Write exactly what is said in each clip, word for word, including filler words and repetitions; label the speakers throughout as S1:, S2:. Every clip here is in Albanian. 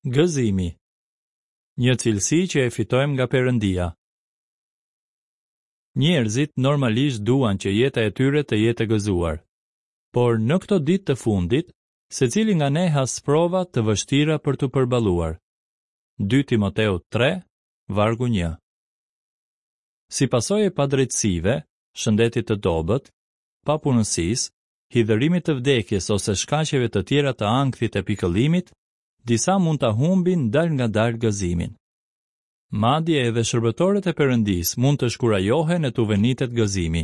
S1: Gëzimi. Një cilësi që e fitojmë nga Perëndia. Njerëzit normalisht duan që jeta e tyre të jetë e gëzuar. Por në këto ditë të fundit, secili nga ne has sprova të vështira për t'u përballuar. dy Timoteu tre, vargu një. Si pasojë e padrejtësive, shëndetit të dobët, papunësisë, hidhërimit të vdekjes ose shkaqeve të tjera të ankthit e pikëllimit, disa mund ta humbin dal nga dal gëzimin. Madje edhe shërbëtorët e Perëndisë mund të shkurajohen e t'u venitet gëzimi.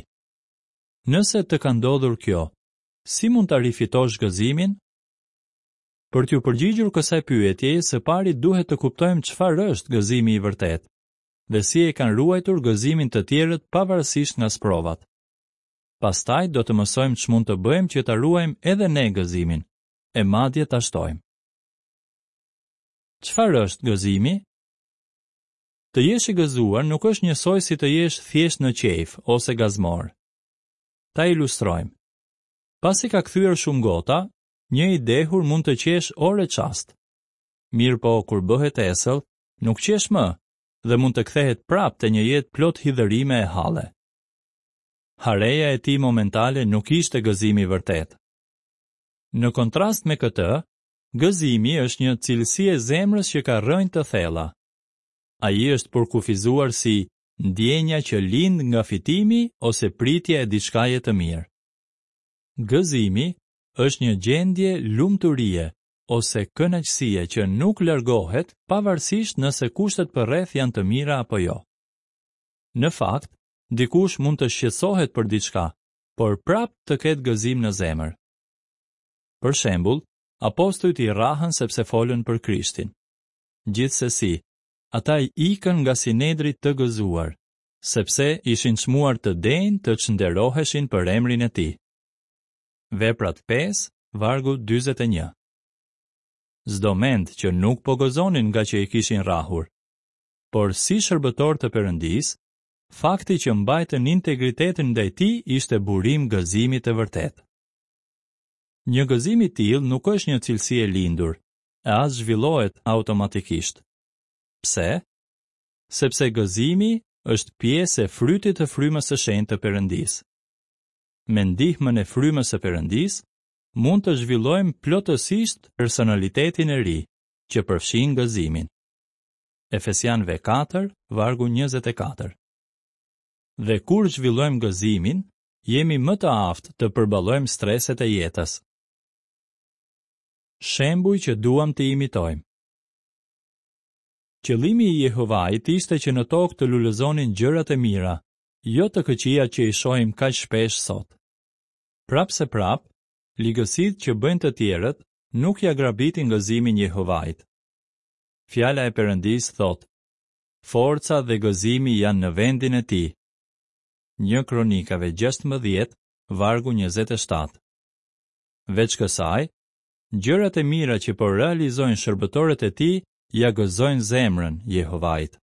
S1: Nëse të ka ndodhur kjo, si mund ta rifitosh gëzimin? Për t'ju përgjigjur kësaj pyetjeje, së pari duhet të kuptojmë çfarë është gëzimi i vërtetë dhe si e kanë ruajtur gëzimin të tjerët pavarësisht nga sprovat. Pastaj do të mësojmë ç'mund të bëjmë që ta ruajmë edhe ne gëzimin, e madje ta shtojmë. Çfarë është gëzimi? Të jesh i gëzuar nuk është njësoj si të jesh thjesht në qejf ose gazmor. Ta ilustrojmë. Pasi ka kthyer shumë gota, një i dehur mund të qesh orë e çast. Mirë po, kur bëhet esëll, nuk qesh më dhe mund të kthehet prapë te një jetë plot hidhërime e halle. Hareja e tij momentale nuk ishte gëzimi i vërtet. Në kontrast me këtë, gëzimi është një cilësi e zemrës që ka rrënjë të thella. Ai është përkufizuar si ndjenja që lind nga fitimi ose pritja e diçkaje të mirë. Gëzimi është një gjendje lumturie ose kënaqësie që nuk largohet pavarësisht nëse kushtet përreth janë të mira apo jo. Në fakt, dikush mund të shqetësohet për diçka, por prapë të ketë gëzim në zemër. Për shembull, apostujt i rrahën sepse folën për Krishtin. Gjithsesi, ata i ikën nga Sinedri të gëzuar, sepse ishin çmuar të denjë të çnderoheshin për emrin e tij. Veprat pesë, vargu dyzet e një. S'do mend që nuk po gëzonin nga që i kishin rrahur, por si shërbëtor të Perëndisë, fakti që mbajtën integritetin ndaj tij ishte burim gëzimi të vërtet. Një gëzim i tillë nuk është një cilësi e lindur, e as zhvillohet automatikisht. Pse? Sepse gëzimi është pjesë e frytit të frymës së shenjtë të Perëndisë. Me ndihmën e frymës së Perëndisë, mund të zhvillojmë plotësisht personalitetin e ri, që përfshin gëzimin. Efesianëve katër, vargu njëzet e katër. Dhe kur zhvillojmë gëzimin, jemi më të aftë të përballojmë streset e jetës. Shembuj që duam të imitojmë. Qëllimi i Jehovait ishte që në tokë të lulëzonin gjërat e mira, jo të këqija që i shohim kaq shpesh sot. Prapë se prapë, ligësitë që bëjnë të tjerët nuk ja grabitin gëzimin Jehovait. Fjala e Perëndisë thotë: Forca dhe gëzimi janë në vendin e tij. Një Kronikave gjashtëmbëdhjetë, vargu njëzet e shtatë. Veç kësaj, gjërat e mira që po realizojnë shërbëtorët e tij ja gëzojnë zemrën Jehovait.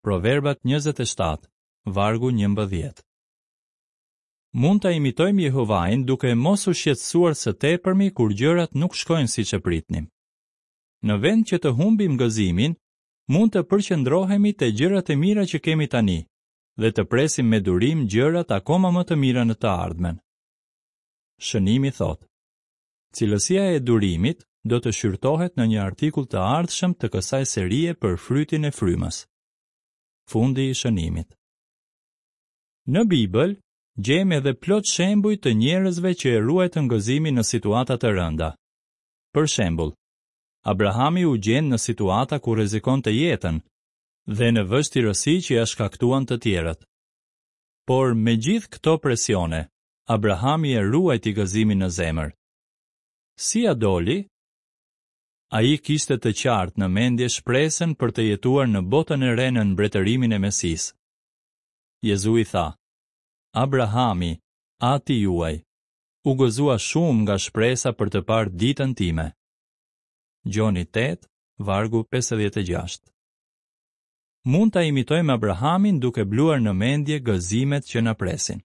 S1: Proverbat njëzet e shtatë, vargu njëmbëdhjetë. Mund ta imitojmë Jehovain duke mos u shqetësuar së tepërmi kur gjërat nuk shkojnë siç e pritnim. Në vend që të humbim gëzimin, mund të përqendrohemi te gjërat e mira që kemi tani dhe të presim me durim gjërat akoma më të mira në të ardhmen. Shënimi thotë: Cilësia e durimit do të shqyrtohet në një artikull të ardhshëm të kësaj serie për frytin e frymës. Fundi i shënimit. Në Bibël gjejmë edhe plot shembuj të njerëzve që e ruajtën gëzimin në situata të rënda. Për shembull, Abrahami u gjend në situata ku rrezikonte jetën dhe në vështirësi që ja shkaktuan të tjerët. Por me gjithë këto presione, Abrahami e ruajti gëzimin në zemër. Si ja doli? Ai kishte të qartë në mendje shpresën për të jetuar në botën e re në mbretërimin e Mesisë. Jezui tha: Abrahami, ati juaj, u gëzua shumë nga shpresa për të parë ditën time. Gjoni tetë, vargu pesëdhjetë e gjashtë. Mund ta imitojmë Abrahamin duke bluar në mendje gëzimet që na presin.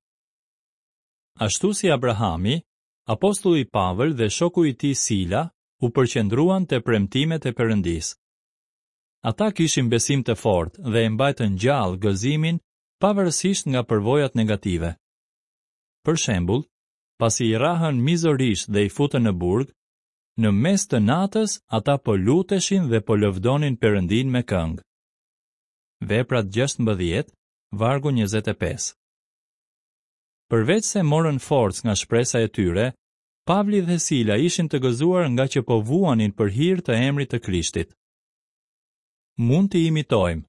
S1: Ashtu si Abrahami, apostulli Pavel dhe shoku i tij Sila u u përqendruan te premtimet e Perëndisë. Ata kishin besim të fortë dhe e mbajtën gjallë gëzimin pavarësisht nga përvojat negative. Për shembull, pasi i rrahën mizorisht dhe i futën në burg, në mes të natës ata po luteshin dhe po lëvdonin Perëndinë me këngë. Veprat gjashtëmbëdhjetë, vargu njëzet e pesë. Përveç se morën forcë nga shpresa e tyre, Pavli dhe Sila ishin të gëzuar nga që po vuanin për hir të emrit të Krishtit. Mund t'i imitojmë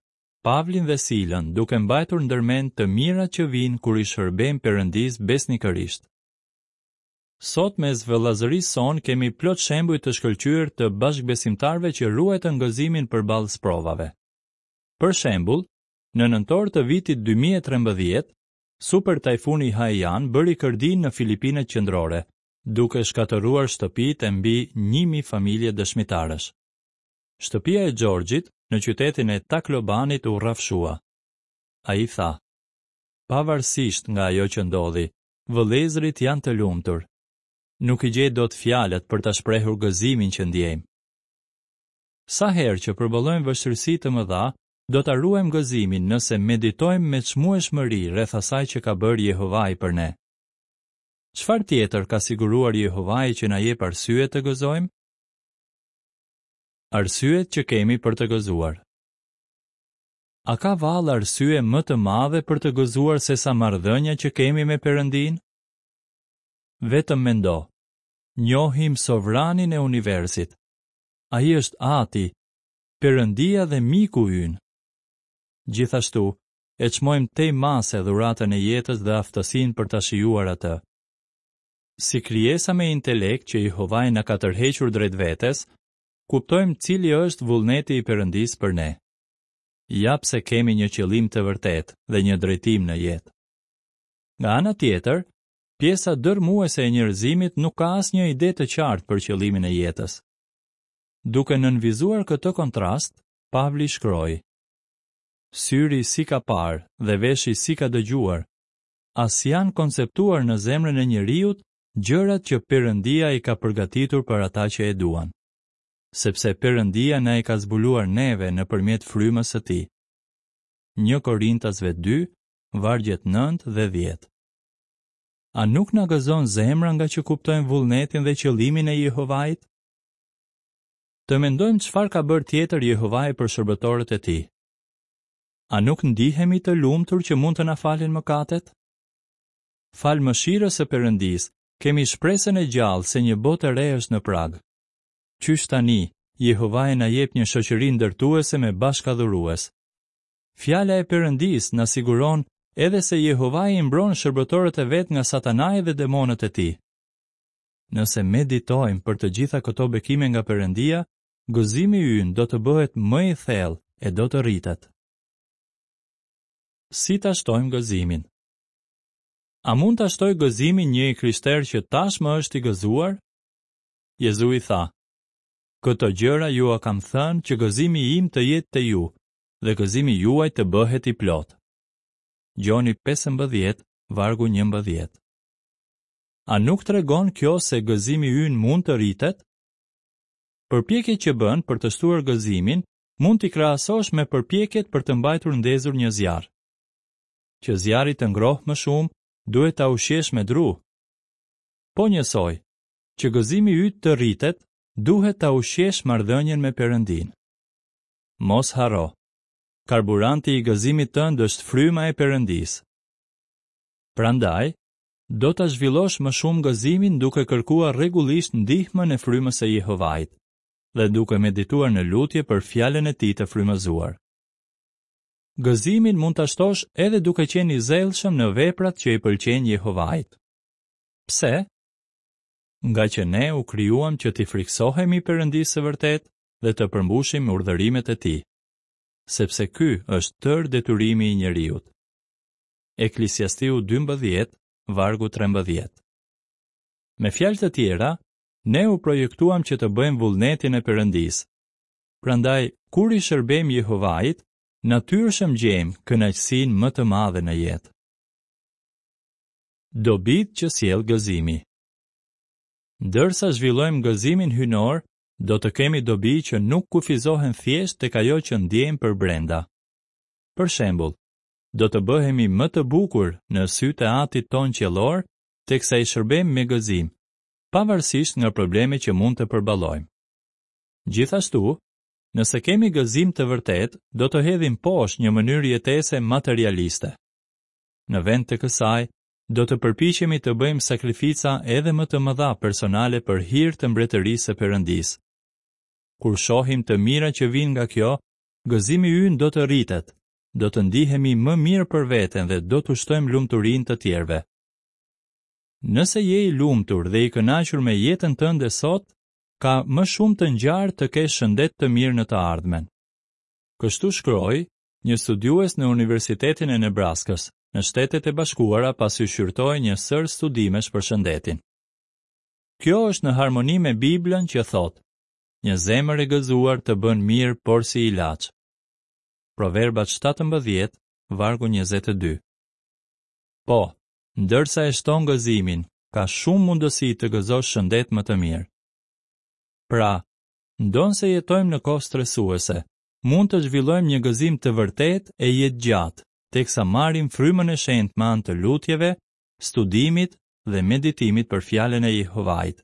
S1: Pavlin dhe Silën duke mbajtur ndërmend të mirat që vijnë kur i shërbejmë Perëndisë besnikërisht. Sot mes vëllazërisë sonë kemi plot shembuj të shkëlqyer të bashkëbesimtarëve që ruajtën gëzimin përballë sprovave. Për shembull, në nëntor të vitit dy mijë e trembëdhjetë, super tajfuni Haiyan bëri kërdinë në Filipinet qendrore, duke shkatërruar shtëpitë e mbi një mijë familje dëshmitarësh. Shtëpia e Xhorxhit në qytetin e Taklobanit u rrafshua. Ai tha: Pavarësisht nga ajo që ndodhi, vëllezërit janë të lumtur. Nuk i gjej dot fjalët për ta shprehur gëzimin që ndjejmë. Sa herë që përballojmë vështirësi të mëdha, do ta ruajmë gëzimin nëse meditojmë me çmueshmëri rreth asaj që ka bërë Jehovai për ne. Çfarë tjetër ka siguruar Jehovai që na jep arsye të gëzojmë? Arsyet që kemi për të gëzuar. A ka vallë arsye më të madhe për të gëzuar sesa marrëdhënia që kemi me Perëndinë? Vetëm mendo. Njohim sovranin e universit. Ai është Ati, Perëndia dhe miku ynë. Gjithashtu, e çmojmë tej mase dhuratën e jetës dhe aftësinë për ta shijuar atë. Si krijesa me intelekt që Jehovai na ka tërhequr drejt vetes, kuptojmë cili është vullneti i Perëndisë për ne. Ja pse kemi një qëllim të vërtetë dhe një drejtim në jetë. Nga ana tjetër, pjesa dërmuese e njerëzimit nuk ka asnjë ide të qartë për qëllimin e jetës. Duke nënvizuar këtë kontrast, Pavli shkroi: Syri si ka parë dhe veshi si ka dëgjuar, as janë konceptuar në zemrën e njeriut gjërat që Perëndia i ka përgatitur për ata që e duan, sepse Perëndia na i ka zbuluar neve nëpërmjet frymës së tij. Një Korintasve dy, vargjet nëntë dhe dhjetë. A nuk na gëzon zemra nga që kuptojmë vullnetin dhe qëllimin e Jehovait? Të mendojmë çfarë ka bërë tjetër Jehovai për shërbëtorët e tij. A nuk ndihemi të lumtur që mund të na falin mëkatet? Fal mëshirës së Perëndisë, kemi shpresën e gjallë se një botë e re është në prag. Qysh tani, Jehovai na jep një shoqëri ndërtuese me bashkadhurues. Fjala e Perëndisë na siguron edhe se Jehovai i mbron shërbëtorët e vet nga Satanai dhe demonët e tij. Nëse meditojmë për të gjitha këto bekime nga Perëndia, gëzimi ynë do të bëhet më i thellë e do të rritet. Si ta shtojmë gëzimin? A mund ta shtoj gëzimin një i krishterë që tashmë është i gëzuar? Jezui tha: Këto gjëra jua kam thënë që gëzimi im të jetë te ju dhe gëzimi juaj të bëhet i plot. Gjoni pesëmbëdhjetë, vargu njëmbëdhjetë. A nuk tregon kjo se gëzimi ynë mund të rritet? Përpjekjet që bën për të shtuar gëzimin mund t'i krahasosh me përpjekjet për të mbajtur ndezur një zjarr. Që zjarri të ngrohë më shumë, duhet ta ushqesh me dru. Po njësoj, që gëzimi yt të rritet, duhet ta ushqesh marrëdhënien me Perëndin. Mos harro, karburanti i gëzimit tënd është fryma e Perëndisë. Prandaj, do ta zhvillosh më shumë gëzimin duke kërkuar rregullisht ndihmën e frymës së Jehovait dhe duke medituar në lutje për fjalën e tij të frymëzuar. Gëzimin mund ta shtosh edhe duke qenë i zellshëm në veprat që i pëlqejnë Jehovait. Pse? Nga që ne u krijuam që t'i friksohemi Perëndisë së vërtetë dhe të përmbushim urdhërimet e tij, sepse ky është tërë detyrimi i njeriut. Eklesiastiu dymbëdhjetë, vargu trembëdhjetë. Me fjalë të tjera, ne u projektuam që të bëjmë vullnetin e Perëndisë. Prandaj, kur i shërbejmë Jehovait, natyrshëm gjejmë kënaqësinë më të madhe në jetë. Dobit që sjell gëzimi. Ndërsa zhvillojmë gëzimin hyjnor, Do të kemi dobi që nuk kufizohen thjesht tek ajo që ndjejmë përbrenda. Për shembull, do të bëhemi më të bukur në sytë e Atit tonë qiellor teksa i shërbejmë me gëzim, pavarësisht nga problemet që mund të përballojmë. Gjithashtu, nëse kemi gëzim të vërtetë, do të hedhim poshtë një mënyrë jetese materialiste. Në vend të kësaj, do të përpiqemi të bëjmë sakrifica edhe më të mëdha personale për hir të mbretërisë së Perëndisë. Kur shohim të mira që vijnë nga kjo, gëzimi ynë do të rritet, do të ndihemi më mirë për veten dhe do t'u shtojmë lumturinë të tjerëve. Nëse je i lumtur dhe i kënaqur me jetën tënde sot, ka më shumë të ngjarë të kesh shëndet të mirë në të ardhmen. Kështu shkroi një studiues në Universitetin e Nebraskës, në Shtetet e Bashkuara, pasi shqyrtoi një sërë studimesh për shëndetin. Kjo është në harmoni me Biblën që thotë: Një zemër e gëzuar të bën mirë porsi ilaç. Proverbat shtatëmbëdhjetë, vargu njëzet e dy. Po, ndërsa e shton gëzimin, ka shumë mundësi të gëzosh shëndet më të mirë. Pra, ndonëse jetojmë në kohë stresuese, mund të zhvillojmë një gëzim të vërtetë e jetëgjatë, teksa marrim frymën e shenjtë me anë të lutjeve, studimit dhe meditimit për fjalën e Jehovait.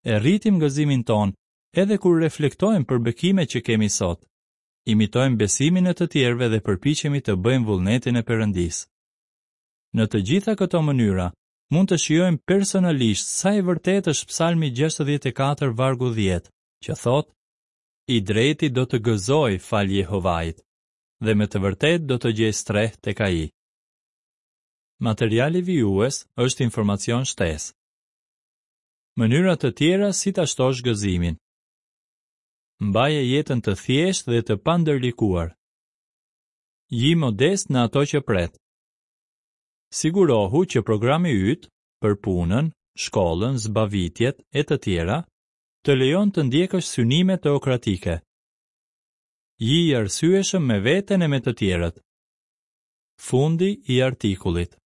S1: E rritim gëzimin tonë edhe kur reflektojmë për bekimet që kemi sot. Imitojmë besimin e të tjerëve dhe përpiqemi të bëjmë vullnetin e Perëndisë. Në të gjitha këto mënyra, mund të shijojmë personalisht sa i vërtetë është Psalmi gjashtëdhjetë e katër vargu dhjetë, që thotë: I drejti do të gëzojë fal Jehovait, dhe me të vërtetë do të gjejë strehë tek ai. Materiali vijues është informacion shtesë. Mënyra të tjera si ta shtosh gëzimin. Mbaje jetën të thjeshtë dhe të pandërlikuar. Ji modest në ato që pret. Sigurohu që programi yt për punën, shkollën, zbavitjet e të tjera të lejon të ndjekësh synime teokratike. Ji i arsyeshëm me veten e me të tjerët. Fundi i artikullit.